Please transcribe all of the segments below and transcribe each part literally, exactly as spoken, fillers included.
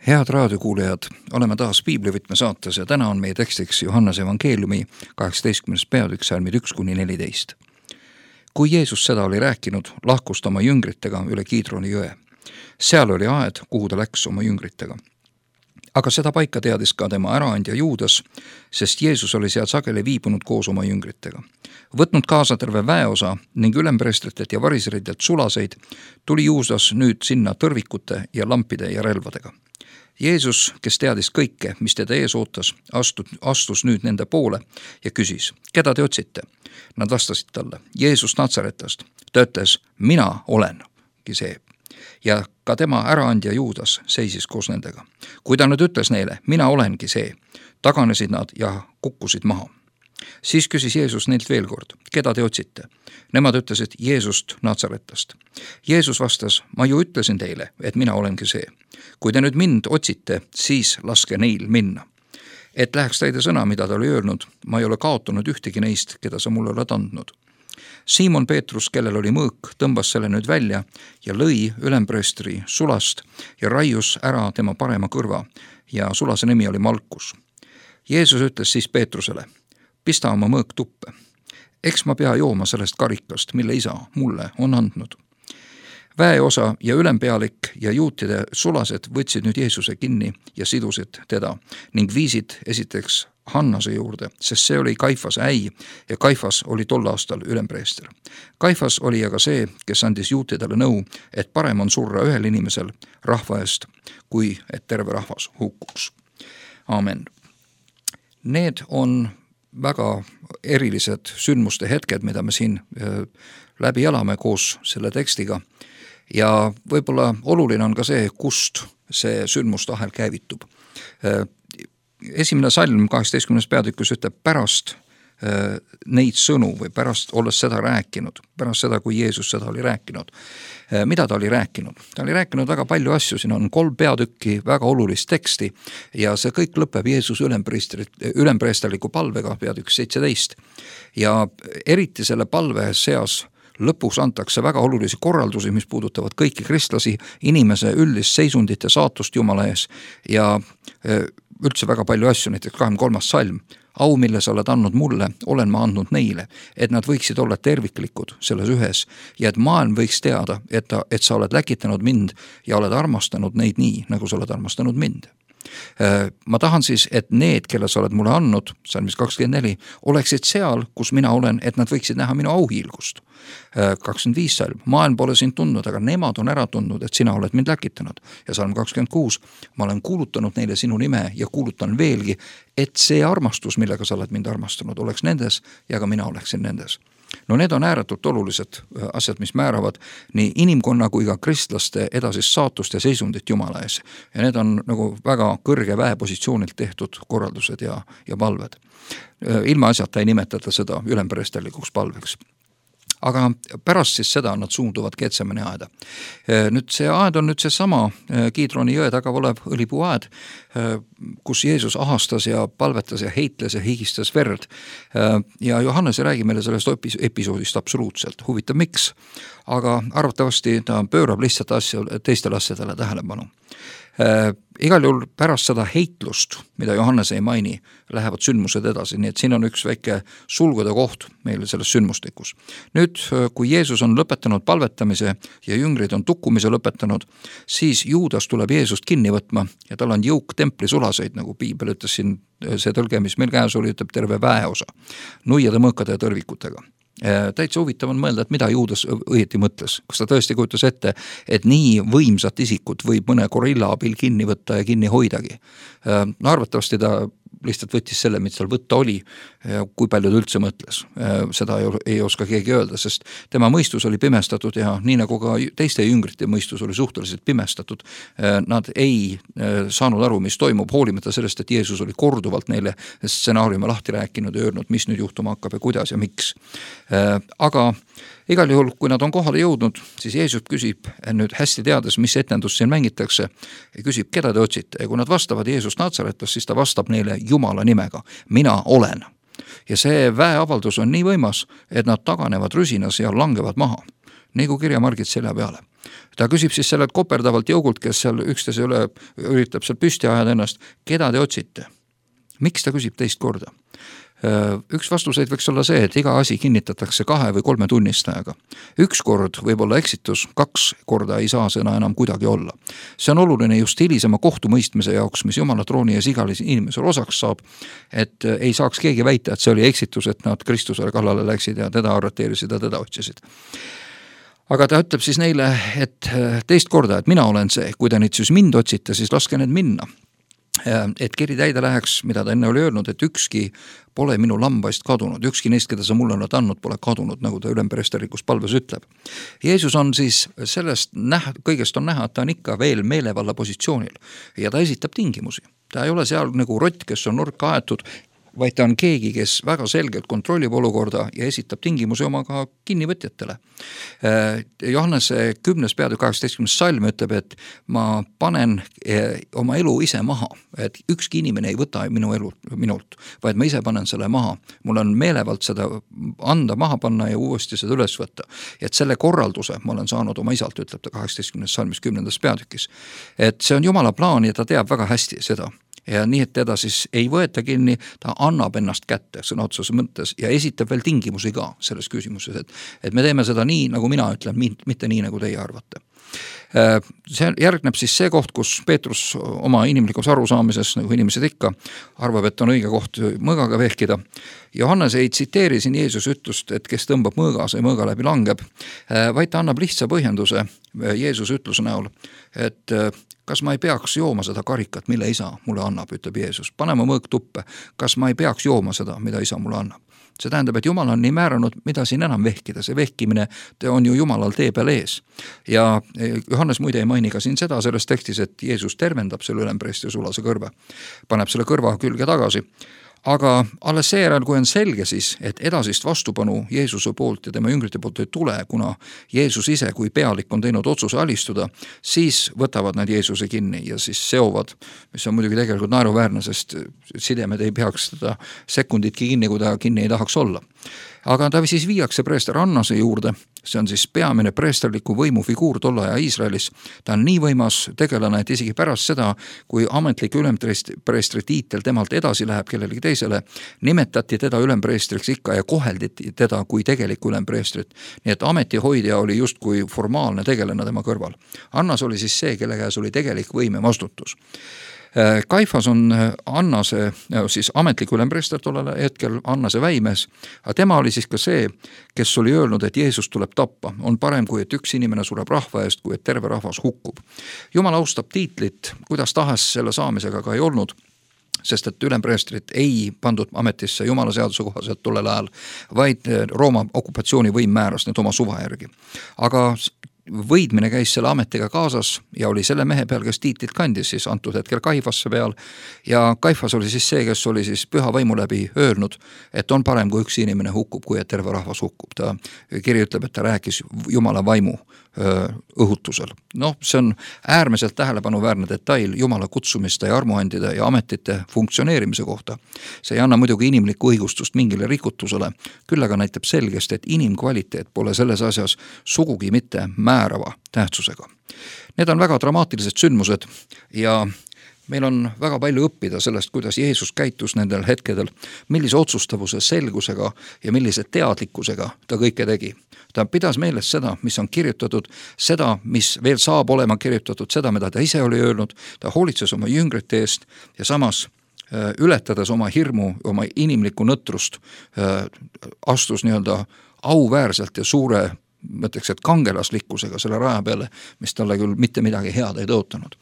Head raadiokuulajad, oleme taas Piiblivõtme saates ja täna on meie tekstiks Johannese evangeeliumi kaheksateistkümnes peatükk salmid üks kuni neliteist. Kui Jeesus seda oli rääkinud, lahkus ta oma jüngritega üle Kiidroni jõe. Seal oli aed, kuhu ta läks oma jüngritega. Aga seda paika teadis ka tema äraandja Juudas, sest Jeesus oli seal sageli viibunud koos oma jüngritega. Võtnud kaasa terve väeosa ning ülempreestritelt ja variseritelt sulaseid, tuli Juudas nüüd sinna tõrvikute ja lampide ja relvadega. Jeesus, kes teadis kõike, mis teda ees ootas, astud, astus nüüd nende poole ja küsis, keda te otsite? Nad vastasid talle, Jeesus Natsaretast. Ta ütles, mina olengi see. Ja ka tema äraandja Juudas seisis koos nendega. Kui ta nüüd ütles neile, mina olengi see, taganesid nad ja kukkusid maha. Siis küsis Jeesus neilt veel kord, keda te otsite? Nemad ütlesid Jeesust Natsaretast. Jeesus vastas, ma ju ütlesin teile, et mina olengi see. Kui te nüüd mind otsite, siis laske neil minna. Et läheks täide sõna, mida ta oli öelnud, ma ei ole kaotanud ühtegi neist, keda sa mulle oled andnud. Siimon Peetrus, kellel oli mõõk, tõmbas selle nüüd välja ja lõi ülempreestri sulast ja raius ära tema parema kõrva ja sulase nimi oli Malkus. Jeesus ütles siis Peetrusele, pista oma mõõk tuppe. Eks ma pea jooma sellest karikast, mille isa mulle on andnud. Väeosa ja ülempealik ja juutide sulased võtsid nüüd Jeesuse kinni ja sidusid teda ning viisid esiteks Hannase juurde, sest see oli Kaifase äi ja Kaifas oli tol aastal ülempreester. Kaifas oli aga see, kes andis juutidele nõu, et parem on surra ühel inimesel rahva eest, kui et terve rahvas hukkuks. Aamen. Need on väga erilised sündmuste hetked, mida me siin läbi elame koos selle tekstiga. Ja võib-olla oluline on ka see, kust see sündmustahel käivitub. Esimene salm kaheksateistkümnes peatükis ütleb pärast neid sõnu või pärast olles seda rääkinud, pärast seda, kui Jeesus seda oli rääkinud. Mida ta oli rääkinud? Ta oli rääkinud väga palju asju, siin on kolm peatükki, väga olulist teksti ja see kõik lõpeb Jeesus ülempreesterliku palvega peatükk seitseteist. Ja eriti selle palve seas lõpuks antakse väga olulisi korraldusi, mis puudutavad kõiki kristlasi, inimese üldist seisundit ja saatust Jumala ees ja üldse väga palju asju, näiteks kahekümne kolmas salm. Au, mille sa oled andnud mulle, olen ma andnud neile, et nad võiksid olla terviklikud selles ühes ja et maailm võiks teada, et, ta, et sa oled läkitanud mind ja oled armastanud neid nii, nagu sa oled armastanud mind. Ma tahan siis, et need, kelle sa oled mulle andnud, salmis kakskümmend neli, oleksid seal, kus mina olen, et nad võiksid näha minu auhiilgust. kakskümmend viis salm, maailm pole sind tundnud, aga nemad on ära tundnud, et sina oled mind läkitanud. Ja salm kakskümmend kuus, ma olen kuulutanud neile sinu nime ja kuulutan veelgi, et see armastus, millega sa oled mind armastanud, oleks nendes ja ka mina oleksin nendes. No need on ääretult olulised asjad, mis määravad nii inimkonna kui ka kristlaste edasist saatust ja seisundit Jumala ees. Ja need on nagu väga kõrge väepositsioonilt tehtud korraldused ja, ja palved. Ilma asjata ei nimetata seda ülempreesterlikuks palveks. Aga pärast siis seda nad suunduvad Getsemani aeda. Nüüd see aed on nüüd see sama Kiidroni jõe taga olev õlipuu aed, kus Jeesus ahastas ja palvetas ja heitles ja higistas verd. Ja Johannes ei räägi meile sellest episoodist absoluutselt. Huvitav miks, aga arvatavasti ta pöörab lihtsalt asja, teistele asjadele tähelepanu. Äh, igal juhul pärast seda heitlust, mida Johannes ei maini, lähevad sündmused edasi, nii et siin on üks väike sulgude koht meile selles sündmustikus. Nüüd, kui Jeesus on lõpetanud palvetamise ja jüngrid on tukkumise lõpetanud, siis Juudas tuleb Jeesust kinni võtma ja tal on jõuk templi sulaseid, nagu Piibel ütles siin, see tõlge, mis meil käes oli, ütleb terve väeosa, nuiade, mõõkade ja tõrvikutega. Täitsa huvitav on mõelda, et mida Juudas õieti mõtles. Kas ta tõesti kujutas ette, et nii võimsat isikut võib mõne gorilla abil kinni võtta ja kinni hoidagi. No arvatavasti ta lihtsalt võttis selle, mis tal võtta oli, kui palju ta üldse mõtles. Seda ei oska keegi öelda, sest tema mõistus oli pimestatud ja nii nagu ka teiste jüngrite mõistus oli suhteliselt pimestatud. Nad ei saanud aru, mis toimub, hoolimata sellest, et Jeesus oli korduvalt neile stsenaariume lahti rääkinud ja öelnud, mis nüüd juhtuma hakkab ja kuidas ja miks. Aga igal juhul, kui nad on kohale jõudnud, siis Jeesus küsib nüüd hästi teades, mis etendus siin mängitakse, ja küsib, keda te otsite. Ja kui nad vastavad Jeesus Natsaretast, siis ta vastab neile Jumala nimega. Mina olen. Ja see väeavaldus on nii võimas, et nad taganevad rüsinas ja langevad maha. nagu kirjamargid selja peale. Ta küsib siis sellelt koperdavalt jõugult, kes seal üksteise üle üritab seal püsti ajada ennast, keda te otsite? Miks ta küsib teist korda? Üks vastuseid võiks olla see, et iga asi kinnitatakse kahe või kolme tunnistajaga. Üks kord võib olla eksitus, kaks korda ei saa sõna enam kuidagi olla. See on oluline just hilisema kohtumõistmise jaoks, mis Jumala trooni ees igal inimesel osaks saab, et ei saaks keegi väita, et see oli eksitus, et nad Kristusele kallale läksid ja teda arreteerisid ja teda otsisid. Aga ta ütleb siis neile, et teist korda, et mina olen see, kui te nüüd siis mind otsite, siis laske need minna. Et kiri täide läheks, mida ta enne oli öelnud, et ükski pole minu lambaist kadunud, ükski neist, keda sa mulle oled andnud, pole kadunud, nagu ta ülempreesterlikus palves ütleb. Jeesus on siis sellest näha, kõigest on näha, et ta on ikka veel meelevalla positsioonil ja ta esitab tingimusi. Ta ei ole seal nagu rott, kes on nurka aetud, vaid ta on keegi, kes väga selgelt kontrollib olukorda ja esitab tingimusi oma ka kinnivõtjatele. Johannese kümnes peatükk kaheksateistkümnes salm ütleb, et ma panen oma elu ise maha, et ükski inimene ei võta minu elu minult, vaid ma ise panen selle maha. Mul on meelevalt seda anda, maha panna ja uuesti seda üles võtta. Et selle korralduse ma olen saanud oma isalt, ütleb ta kaheksateistkümnes salmis kümnendas peatükis. Et see on Jumala plaan ja ta teab väga hästi seda. Ja nii, et teda siis ei võeta kinni, ta annab ennast kätte sõna otseses mõttes ja esitab veel tingimusi ka selles küsimuses, et, et me teeme seda nii, nagu mina ütlen, mitte nii, nagu teie arvate. See järgneb siis see koht, kus Peetrus oma inimlikus arusaamises, nagu inimesed ikka, arvab, et on õige koht mõõgaga vehkida. Johannes ei tsiteeri siin Jeesus ütlust, et kes tõmbab mõõga, see mõõga läbi langeb, vaid ta annab lihtsa põhjenduse Jeesuse ütluse näol, et kas ma ei peaks jooma seda karikat, mille isa mulle annab, ütleb Jeesus. Pane ma mõõg tuppe, kas ma ei peaks jooma seda, mida isa mulle annab. See tähendab, et Jumal on nii määranud, mida siin enam vehkida. See vehkimine on ju Jumalal tee peal ees. Ja Johannes muide ei maini ka siin seda selles tekstis, et Jeesus tervendab selle ülempreestri sulase kõrve. Paneb selle kõrva külge tagasi. Aga alles seejärel, kui on selge siis, et edasist vastupanu Jeesuse poolt ja tema jüngrite poolt ei tule, kuna Jeesus ise kui pealik on teinud otsuse alistuda, siis võtavad nad Jeesuse kinni ja siis seovad, mis on muidugi tegelikult naeruväärne, sest sidemed ei peaks seda sekunditki kinni, kui ta kinni ei tahaks olla. Aga ta siis viiakse preester Annase juurde, see on siis peamine preesterliku võimu figuur tolle aja Iisraelis. Ta on nii võimas tegelane, et isegi pärast seda, kui ametlik ülempreestri tiitel temalt edasi läheb kellelegi teisele, nimetati teda ülempreestriks ikka ja kohelditi teda kui tegelikku ülempreestrit. Nii et ametihoidja oli just kui formaalne tegelane tema kõrval. Annas oli siis see, kelle käes oli tegelik võim ja vastutus. Kaifas on Annase, siis ametlik ülempreester tollel hetkel, Annase väimees, aga tema oli siis ka see, kes oli öelnud, et Jeesus tuleb tappa. On parem, kui et üks inimene sureb rahva eest, kui et terve rahvas hukkub. Jumal austab tiitlit, kuidas tahes selle saamisega ka ei olnud, sest et ülempreestrit ei pandud ametisse Jumala seaduse kohaselt tollel ajal, vaid Rooma okupatsioonivõim määras need oma suva järgi. Aga võidmine käis selle ametiga kaasas ja oli selle mehe peal, kes tiitlit kandis siis antud hetkel Kaifasse peal ja Kaifas oli siis see, kes oli siis püha vaimu läbi öelnud, et on parem, kui üks inimene hukkub, kui et terve rahvas hukkub. Ta kiri ütleb, et ta rääkis Jumala vaimu õhutusel. Noh, see on äärmiselt tähelepanuväärne detail Jumala kutsumiste ja armuandide ja ametite funktsioneerimise kohta. See ei anna muidugi inimlikku õigustust mingile rikutusele, küll aga näitab selgest, et inimkvaliteet pole selles asjas sugugi mitte määrava tähtsusega. Need on väga dramaatilised sündmused ja meil on väga palju õppida sellest, kuidas Jeesus käitus nendel hetkedel, millise otsustavuse selgusega ja millise teadlikkusega ta kõike tegi. Ta pidas meeles seda, mis on kirjutatud, seda, mis veel saab olema kirjutatud, seda, mida ta ise oli öelnud, ta hoolitses oma jüngrite eest ja samas ületades oma hirmu, oma inimlikku nõtrust, astus nii-öelda auväärselt ja suure mõtleks, et kangelaslikkusega selle raja peale, mis talle küll mitte midagi head ei tõotanud.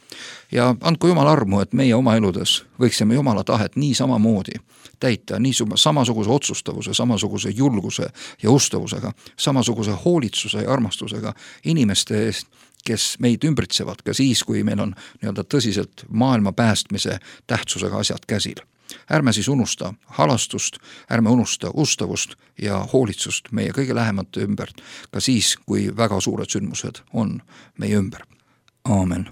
Ja andku Jumal armu, et meie oma eludes võiksime Jumala tahet nii samamoodi täita, nii samasuguse otsustavuse, samasuguse julguse ja ustavusega, samasuguse hoolitsuse ja armastusega inimeste eest, kes meid ümbritsevad ka siis, kui meil on nii-öelda tõsiselt maailma päästmise tähtsusega asjad käsil. Ärme siis unusta halastust, ärme unusta ustavust ja hoolitsust meie kõige lähemate ümbert, ka siis, kui väga suured sündmused on meie ümber. Aamen.